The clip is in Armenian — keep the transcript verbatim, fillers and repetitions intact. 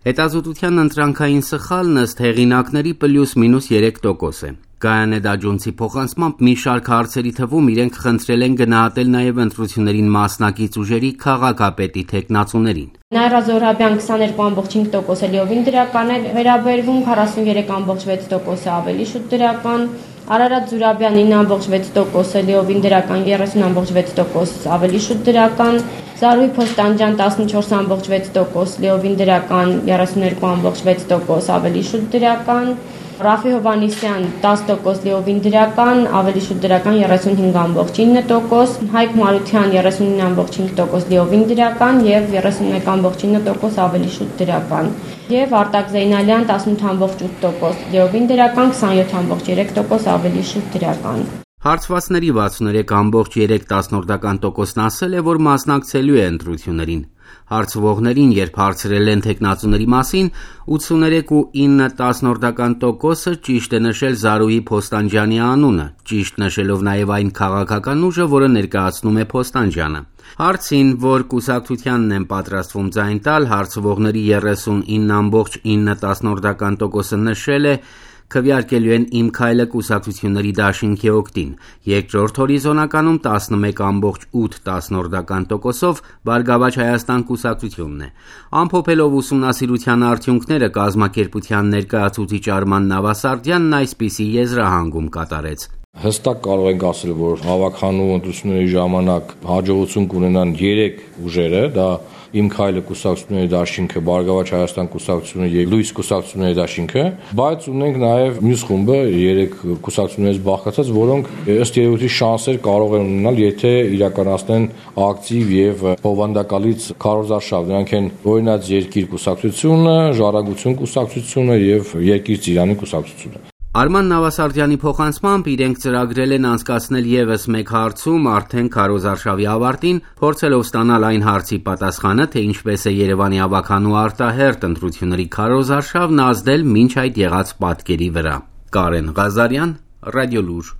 Հետազոտության ընտրանքային սխալն ըստ հեղինակների պլյուս մինուս երեք տոկոս է։ Գայանե Դաջոնցի փոխանցմամբ մի շարք հարցերի թվում իրենք խնդրել են գնահատել նաև ընտրություններին մասնակից ուժերի քաղաքապետի թեկնածուներին։ Նաիրա Զոհրաբյան քսաներկու ամբողջ հինգ տոկոս է լիովին դրական է վերաբերվում, քառասուններեք ամբողջ վեց տոկոս է ավելի շուտ դրական, Արարատ Զուրաբյան ինը ամբողջ վեց տոկոս է լիովին դրական, երեսուն ամբողջ վեց տոկոս ավելի շուտ դրական, Զարուհի Փոստանջյան տասնչորս ամբողջ վեց տոկոս լիովին դրական, երեսուներկու ամբողջ վեց տոկոս ավելի շուտ դրական, Ռաֆի Հովանեսյան տասը տոկոս լիովին դրական, ավելի շուտ դրական երեսունհինգ ամբողջ ինը տոկոս, Հայկ Մարության երեսունինը ամբողջ հինգ տոկոս լիովին դրական եւ երեսունմեկ ամբողջ ինը տոկոս ավելի շուտ դրական։ Եվ Արտակ Զեյնալյան տասնութ ամբողջ ութ տոկոս լիովին դրական, քսաներկու ամբողջ երեք տոկոս ավելի շուտ դրական։ Հարցվածների վաթսուններեք ամբողջ երեք տասնորդական ասել է, որ մասնակցելու է ընտրություններին։ Հարցվողներին, երբ հարցրել են թեկնածուների մասին, ութսուներեք ու ինը տասնորդական տոկոսը ճիշտ է նշել Զարուհի Փոստանջյանի անունը, ճիշտ նշելով նաև այն քաղաքական ուժը, որը ներկայացնում է Փոստանջյանը։ Հարցին, որ կուսակցությանն են պատրաստվում ձայն տալ, հարցվողների երեսունինը ամբողջ ինը տասնորդական տոկոսը նշել է, քվեարկելու են Իմ քայլը կուսակցությունների դաշինքի օգտին, երկրորդ հորիզոնականում տասնմեկ ամբողջ ութ տասնորդական Բարգավաճ Հայաստան կուսակցությունն է։ Ամփոփելով ուսումնասիրության արդյունքները կազմակերպության ներկայացուցիչ Արման Նավասարդյանն այսպիսի եզրահանգում կատարեց։ Հստակ կարող ենք ասել, որ հավաքանու ընտրությունների ժամանակ հաջողություն կունենան երեք ուժերը, դա Իմ քայլը կուսակցությունների դաշինքը, Բարգավաճ Հայաստան կուսակցությունը եւ Լույս կուսակցությունների դաշինքը, բայց ունենք նաեւ մյուս խումբը երեք կուսակցություններից բաղկացած, որոնք ըստ երևույթի շանսեր կարող են ունենալ, եթե իրականացնեն ակտիվ եւ բովանդակալից քարոզարշավ։ Նրանք են Օրինաց երկիր կուսակցությունը, Ժառանգություն կուսակցությունը եւ Երկիր Ծիրանի կուսակցությունը։ Արման Նավասարդյանի փոխանցմամբ իրենք ծրագրել են անցկացնել եւս մեկ հարցում արդեն քարոզարշավի ավարտին, փորձելով ստանալ այն հարցի պատասխանը, թե ինչպես է Երևանի ավականու արտահերթ ընտրությունների քարոզարշավն ազդել մինչ այդ եղած պատկերի վրա։ Կարեն Ղազարյան, Ռադիոլուր։